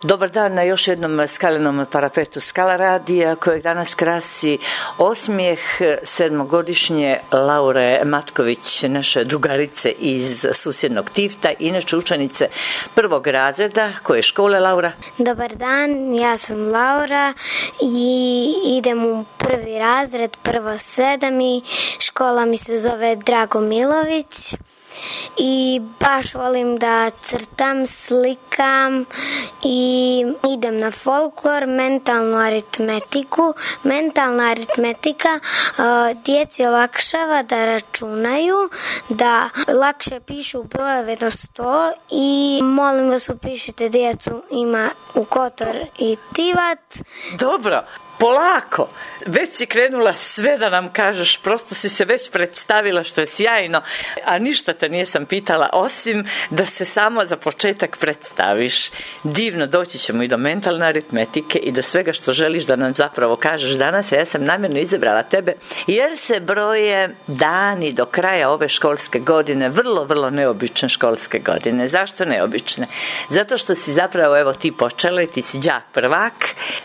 Dobar dan na još jednom skalenom parapetu Skala radija kojeg danas krasi osmijeh sedmogodišnje Laure Matković, naše drugarice iz susjednog Tifta, inače učenice prvog razreda. Koje škole, Laura? Dobar dan, ja sam Laura i idem u prvi razred, prvo 7 i škola mi se zove Drago Milović. I baš volim da crtam, slikam i idem na folklor, mentalnu aritmetiku. Mentalna aritmetika djeci olakšava da računaju, da lakše pišu brojeve do 100 i molim vas upišite djecu ima u Kotor i Tivat. Dobro. Polako, već si krenula sve da nam kažeš, prosto si se već predstavila što je sjajno, a ništa te nisam pitala osim da se samo za početak predstaviš. Divno, doći ćemo i do mentalne aritmetike i do svega što želiš da nam zapravo kažeš danas, a ja sam namjerno izabrala tebe jer se broje dani do kraja ove školske godine, vrlo neobične školske godine. Zašto neobične? Zato što si zapravo, evo ti počela i ti si đak prvak,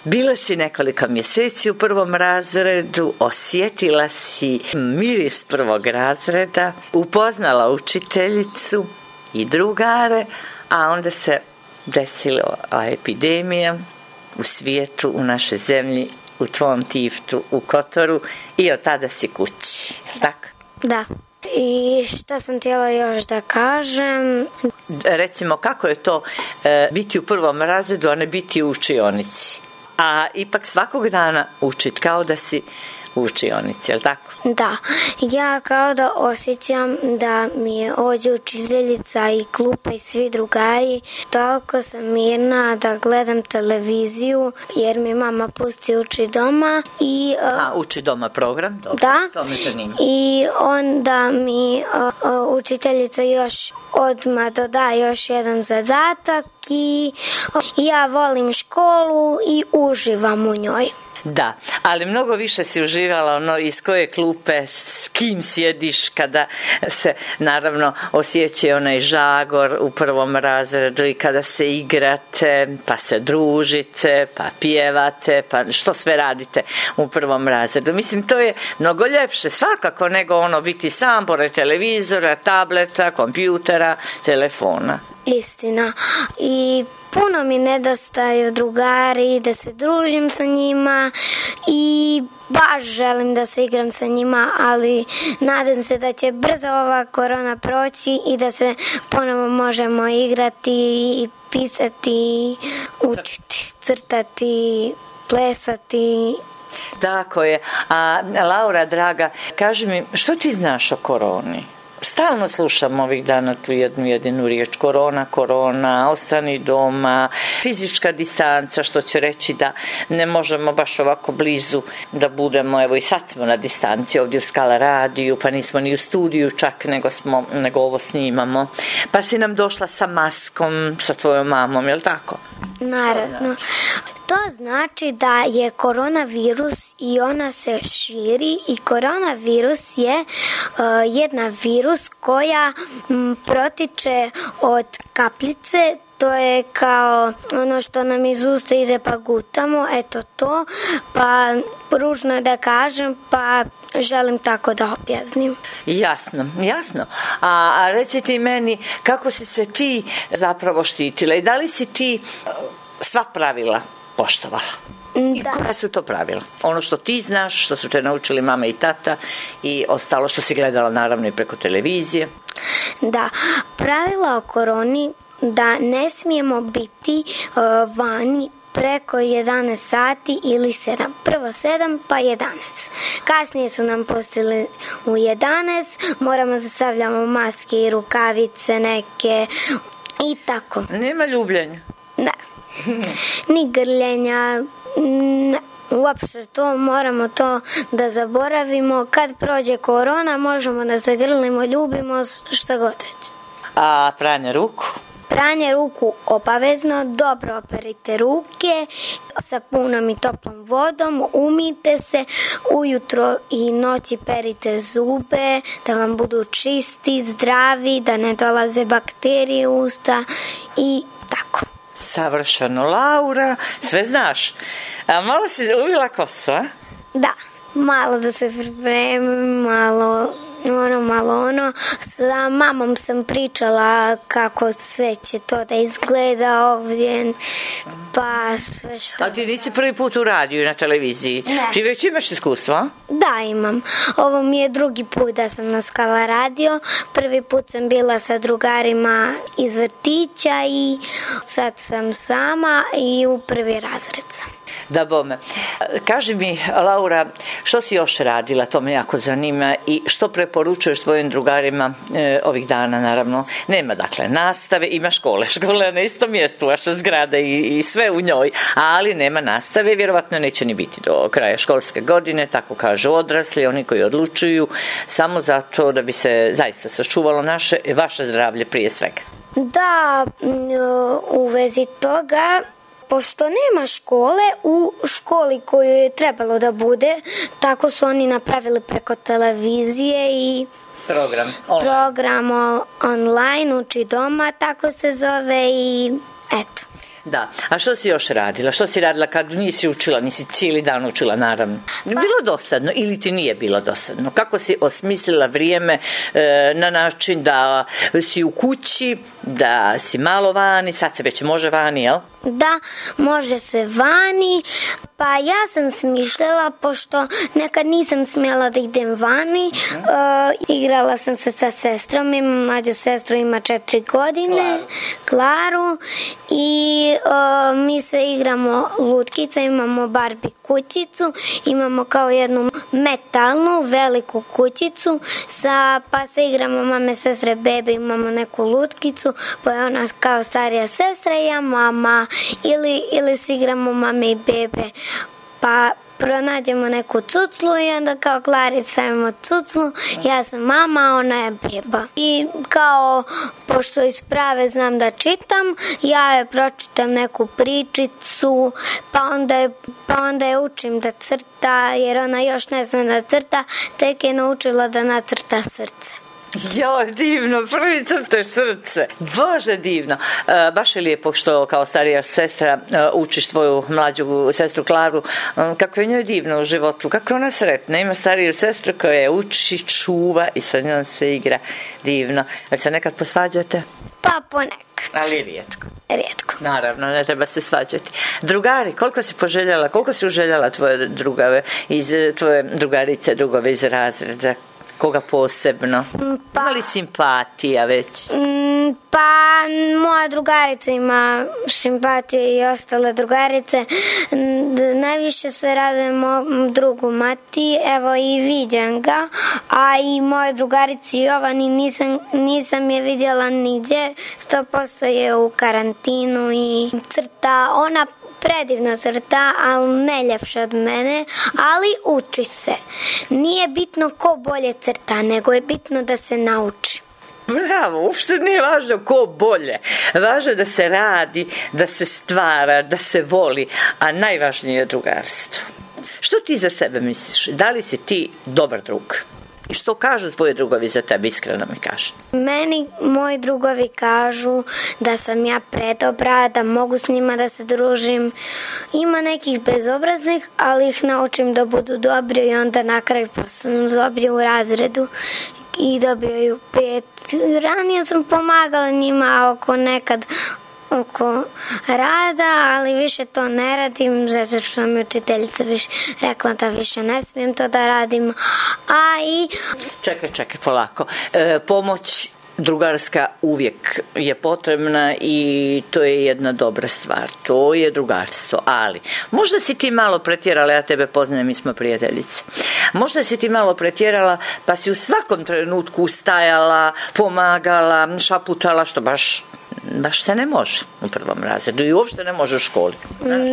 bila si nekoliko mjeseci u prvom razredu, osjetila si miris prvog razreda, upoznala učiteljicu i drugare, a onda se desila epidemija u svijetu, u našoj zemlji, u tvom Tiftu, u Kotoru i od tada si kući, tako? Da. I šta sam htjela još da kažem? Recimo, kako je to biti u prvom razredu, a ne biti u učionici? A ipak svakog dana učit kao da si u učionici, je li tako? Da, ja kao da osjećam da mi je ovdje učiteljica i klupa i svi drugari. Toliko sam mirna da gledam televiziju jer mi mama pusti Uči doma. Uči doma program? Dobro, da, to me zanima. I onda mi učiteljica još odmah doda još jedan zadatak i ja volim školu i uživam u njoj. Da, ali mnogo više si uživala iz koje klupe, s kim sjediš kada se naravno osjeća onaj žagor u prvom razredu i kada se igrate, pa se družite, pa pjevate, pa što sve radite u prvom razredu. Mislim, to je mnogo ljepše svakako nego biti sam pored televizora, tableta, kompjutera, telefona. Istina. I puno mi nedostaju drugari, da se družim sa njima i baš želim da se igram sa njima, ali nadam se da će brzo ova korona proći i da se ponovo možemo igrati i pisati, učiti, crtati, plesati. Tako je. A Laura, draga, kaži mi, što ti znaš o koroni? Stalno slušam ovih dana tu jednu jedinu riječ, korona, ostani doma, fizička distanca, što će reći da ne možemo baš ovako blizu da budemo, evo i sad smo na distanci ovdje u Skala radiju, pa nismo ni u studiju čak, nego ovo snimamo, pa si nam došla sa maskom, sa tvojom mamom, je li tako? Naravno. To znači da je koronavirus i ona se širi i koronavirus je jedna virus koja protiče od kapljice. To je kao ono što nam iz usta ide pa gutamo, eto to, pa ružno da kažem, pa želim tako da objasnim. Jasno. A reci ti meni, kako si se ti zapravo štitila i da li si ti sva pravila poštovala? I koja su to pravila? Ono što ti znaš, što su te naučili mama i tata i ostalo što si gledala naravno i preko televizije. Da, pravila o koroni da ne smijemo biti vani preko 11 sati ili 7. Prvo 7 pa 11. Kasnije su nam pustili u 11. Moramo da stavljamo maske i rukavice neke i tako. Nema ljubljenja? Da. Ni grljenja, uopšte to, moramo to da zaboravimo. Kad prođe korona možemo da se grlimo, ljubimo, šta god već. A pranje ruku? Pranje ruku obavezno, dobro operite ruke sapunom i toplom vodom, umijte se, ujutro i noći perite zube da vam budu čisti, zdravi, da ne dolaze bakterije u usta i tako. Savršeno, Laura, sve znaš. A malo si uvila kosu, a? Da, malo da se pripremim, malo ono. Sa mamom sam pričala kako sve će to da izgleda ovdje, pa sve što... Ali ti nisi prvi put u radiju i na televiziji? Ne. Ti već imaš iskustvo? Da, imam. Ovo mi je drugi put da sam na Skala radio. Prvi put sam bila sa drugarima iz vrtića i sad sam sama i u prvi razred sam. Da bome. Kaži mi, Laura, što si još radila, to me jako zanima, i što preporučuješ tvojim drugarima ovih dana, naravno? Nema dakle nastave, ima škole na istom mjestu, vaša zgrada i sve u njoj, ali nema nastave, vjerovatno neće ni biti do kraja školske godine, tako kažu odrasli, oni koji odlučuju, samo zato da bi se zaista sačuvalo vaše zdravlje prije svega. Da, u vezi toga, pošto nema škole, u školi koju je trebalo da bude, tako su oni napravili preko televizije i program online, uči doma, tako se zove i eto. Da, a što si još radila? Što si radila kad nisi učila, nisi cijeli dan učila, naravno? Bilo dosadno ili ti nije bilo dosadno? Kako si osmislila vrijeme na način da si u kući, da si malo vani, sad se već može vani, jel? Da, može se vani, pa ja sam smišljala, pošto nekad nisam smjela da idem vani, igrala sam se sa sestrom, imam mlađu sestru, ima 4 godine, Klaru, i mi se igramo lutkica, imamo Barbie kućicu, imamo kao jednu metalnu veliku kućicu, pa se igramo mame, sestre, bebe, imamo neku lutkicu, pa je ona kao starija sestra i ja mama, ili se igramo mame i bebe, pa pronađemo neku cuclu i onda kao Klarica imamo cuclu, ja sam mama, ona je beba. I kao, pošto iz prave znam da čitam, ja je pročitam neku pričicu, pa onda je učim da crta, jer ona još ne zna da crta, tek je naučila da nacrta srce. Jo, divno, prvi crteš srce. Bože, divno. Baš je lijepo što kao starija sestra učiš tvoju mlađu sestru Klaru. Kako je njoj divno u životu, kako je ona sretna. Ima stariju sestru koja je uči, čuva i sa njom se igra. Divno. Jel se nekad posvađate? Pa ponekad. Ali rijetko. Rijetko. Naravno, ne treba se svađati. Drugari, koliko si uželjala tvoje drugave, tvoje drugarice, drugove iz razreda? Koga posebno? Ima li simpatija već? Pa moja drugarica ima simpatiju i ostale drugarice. Najviše se radujem mom drugu Mati, evo i viđam ga, a i moje drugarici Jovani nisam je vidjela niđe, 100% je u karantinu i crta, ona predivno crta, ali ne ljepše od mene, ali uči se. Nije bitno ko bolje crta, nego je bitno da se nauči. Bravo, uopšte nije važno ko bolje. Važno je da se radi, da se stvara, da se voli, a najvažnije je drugarstvo. Što ti za sebe misliš? Da li si ti dobar drug? I što kažu tvoji drugovi za tebe, iskreno mi kaže? Meni moji drugovi kažu da sam ja predobra, da mogu s njima da se družim. Ima nekih bezobraznih, ali ih naučim da budu dobri i onda na kraju postanu dobri u razredu i dobijaju 5. Ranije sam pomagala njima oko rada, ali više to ne radim, zato što mi učiteljica rekla da više ne smijem to da radim. Čekaj, polako. Pomoć drugarska uvijek je potrebna i to je jedna dobra stvar. To je drugarstvo, ali možda si ti malo pretjerala, ja tebe poznajem, mi smo prijateljice. Možda si ti malo pretjerala pa si u svakom trenutku ustajala, pomagala, šaputala, što baš se ne može u prvom razredu i uopšte ne može u školi.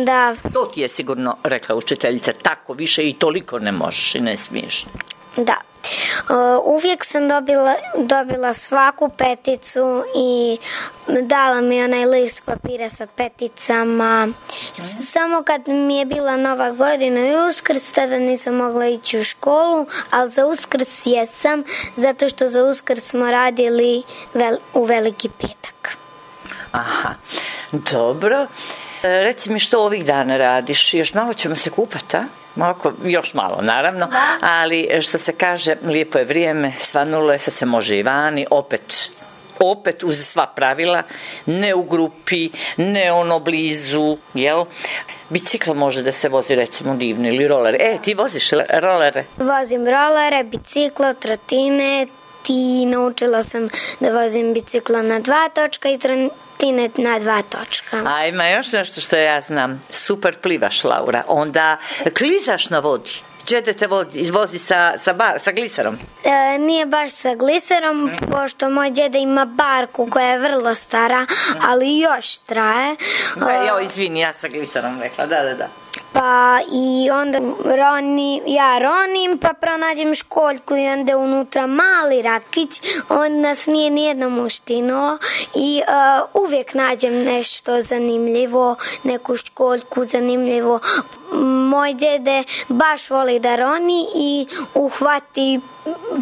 Da. To ti je sigurno rekla učiteljica, tako više i toliko ne možeš i ne smiješ. Da. Uvijek sam dobila svaku peticu i dala mi onaj list papira sa peticama. Samo kad mi je bila Nova godina i Uskrs, tada nisam mogla ići u školu, ali za Uskrs jesam, zato što za Uskrs smo radili u Veliki petak. Aha. Dobro. Reci mi što ovih dana radiš? Još malo ćemo se kupati, a? Još malo, naravno, ali što se kaže, lijepo je vrijeme, svanulo je, sad se može i vani, opet uz sva pravila, ne u grupi, ne blizu, jel? Bicikl može da se vozi, recimo, divno, ili rolere. Ti voziš rolere? Vozim rolere, biciklo, trotinet i naučila sam da vozim bicikla na 2 točka i trotinet na 2 točka. A ima još nešto što ja znam. Super plivaš, Laura. Onda klizaš na vodi. Džede te vozi sa gliserom? Nije baš sa gliserom, pošto moj djede ima barku koja je vrlo stara, ali još traje. Izvini, ja sa gliserom rekla, da. Pa i onda ja ronim, pa pronađem školjku i onda unutra mali rakić, on nas nije nijednom uštinuo i uvijek nađem nešto zanimljivo, neku školjku zanimljivo. Moj djede baš voli da roni i uhvati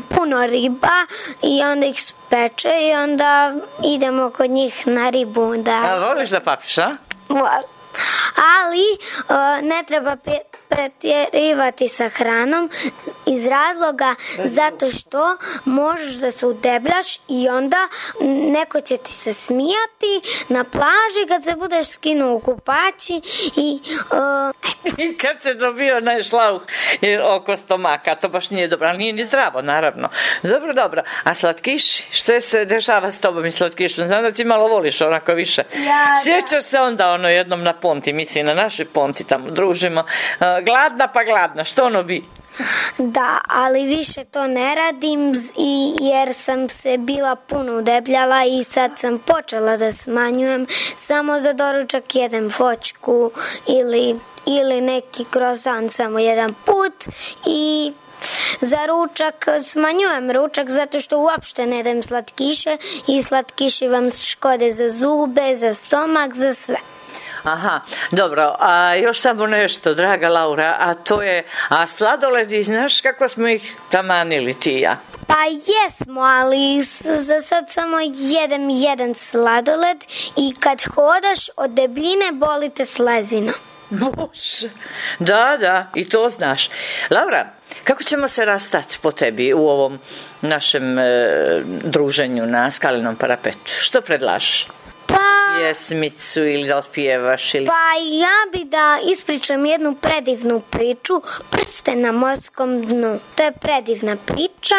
puno riba i onda ih speče i onda idemo kod njih na ribu. Voliš da papiš, a? Volim. Ali ne treba pretjerivati sa hranom iz razloga zato što možeš da se udebljaš i onda neko će ti se smijati na plaži kad se budeš skinuo u kupači i kad se dobio onaj šlauh oko stomaka, to baš nije dobro, ali nije ni zdravo, naravno. Dobro. A slatkiši? Što se dešava s tobom i slatkišom? Znam da ti malo voliš onako više. Sjećaš se onda jednom na Ponti, mislim na našoj Ponti, tamo družimo. Gladna, što bi? Da, ali više to ne radim jer sam se bila puno udebljala i sad sam počela da smanjujem. Samo za doručak jedem voćku ili neki krosan samo jedan put i za ručak smanjujem ručak zato što uopšte ne dajem slatkiše i slatkiši vam škode za zube, za stomak, za sve. Aha, dobro, a još samo nešto, draga Laura, a to je, sladoledi, znaš kako smo ih tamanili ti i ja? Pa jesmo, ali za sad samo jedem jedan sladoled i kad hodaš od debljine boli te slezina. Bože, da, i to znaš. Laura, kako ćemo se rastati po tebi u ovom našem druženju na Skalinom parapetu? Što predlažeš? Pjesmicu ili da otpjevaš ili... Pa ja bi da ispričam jednu predivnu priču, Prsten na morskom dnu. To je predivna priča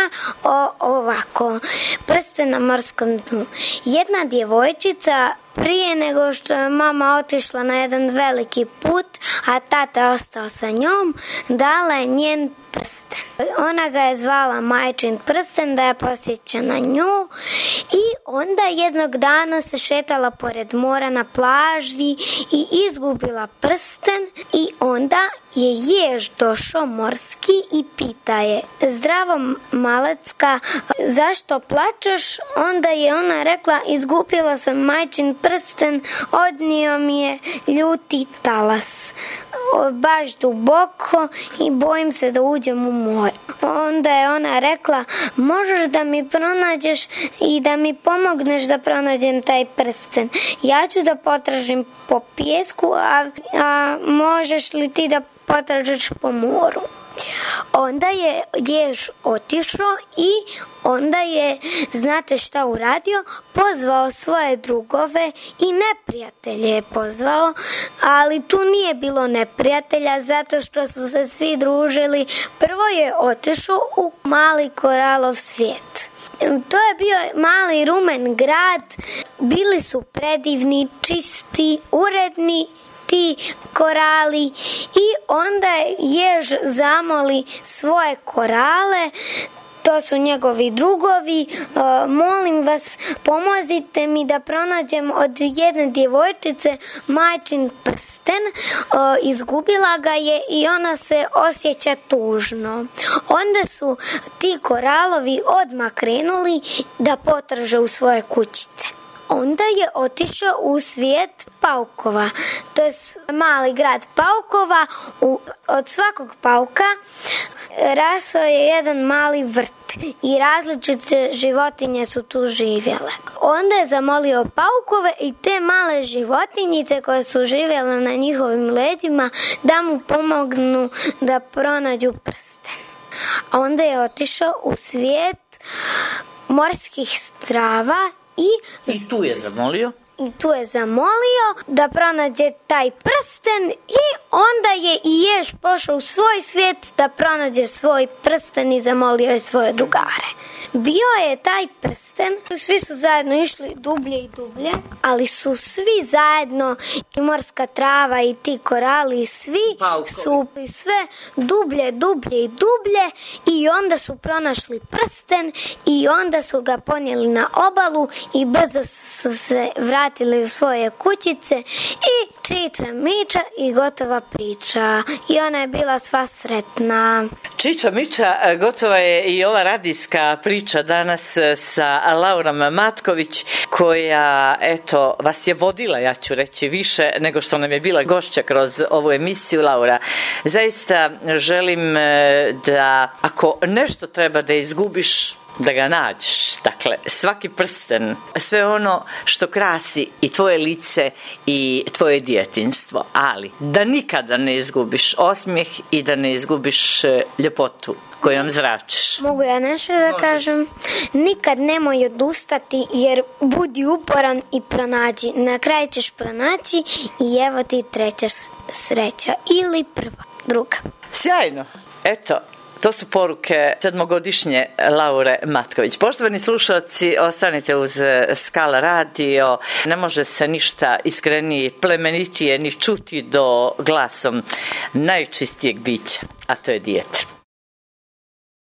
ovako. Prsten na morskom dnu. Jedna djevojčica prije nego što je mama otišla na jedan veliki put, a tata ostao sa njom, dala je njen prsten. Ona ga je zvala majčin prsten da je posjeća na nju i onda jednog dana se šetala pored mora na plaži i izgubila prsten i onda je jež došao morski i pita je: zdravo malecka, zašto plačeš? Onda je ona rekla: izgubila sam majčin prsten, odnio mi je ljuti talas baš duboko i bojim se da uđem u more. Onda je ona rekla: možeš da mi pronađeš i da mi pomogneš da pronađem taj prsten. Ja ću da potražim po pijesku, a možeš li ti da potražiš po moru? Onda je jež otišao i onda je, znate šta uradio? Pozvao svoje drugove i neprijatelje je pozvao, ali tu nije bilo neprijatelja zato što su se svi družili. Prvo je otišao u mali koralov svijet. To je bio mali rumen grad, bili su predivni, čisti, uredni ti korali i onda jež zamoli svoje korale, to su njegovi drugovi: molim vas, pomozite mi da pronađem od jedne djevojčice majčin prsten, izgubila ga je i ona se osjeća tužno. Onda su ti koralovi odmah krenuli da potraže u svoje kućice. Onda je otišao u svijet paukova. To je mali grad paukova. Od svakog pauka rasao je jedan mali vrt i različite životinje su tu živjele. Onda je zamolio paukove i te male životinjice koje su živjele na njihovim leđima da mu pomognu da pronađu prsten. A onda je otišao u svijet morskih strava i tu je zamolio da pronađe taj prsten i onda je i Jež pošao u svoj svijet da pronađe svoj prsten i zamolio je svoje drugare. Bio je taj prsten, svi su zajedno išli dublje i dublje, ali su svi zajedno, i morska trava i ti korali, svi su sve dublje i dublje i onda su pronašli prsten i onda su ga ponijeli na obalu i brzo su se vratili u svoje kućice i čiča miča i gotova priča. I ona je bila sva sretna. Čiča miča, gotova je i ova radijska priča danas sa Laurom Matković, koja, eto, vas je vodila, ja ću reći, više nego što nam je bila gošća kroz ovu emisiju. Laura, zaista želim da ako nešto treba da izgubiš, da ga nađeš. Dakle, svaki prsten, sve ono što krasi i tvoje lice i tvoje djetinjstvo, ali da nikada ne izgubiš osmijeh i da ne izgubiš ljepotu kojom zračiš. Mogu ja nešto da kažem? Nikad nemoj odustati, jer budi uporan i pronađi. Na kraju ćeš pronaći i evo ti treća sreća. Ili prva, druga. Sjajno. Eto, to su poruke 7-godišnje Laure Matković. Poštovani slušalci, ostanite uz Skala radio. Ne može se ništa iskrenije, plemenitije ni čuti do glasom najčistijeg bića, a to je dijete.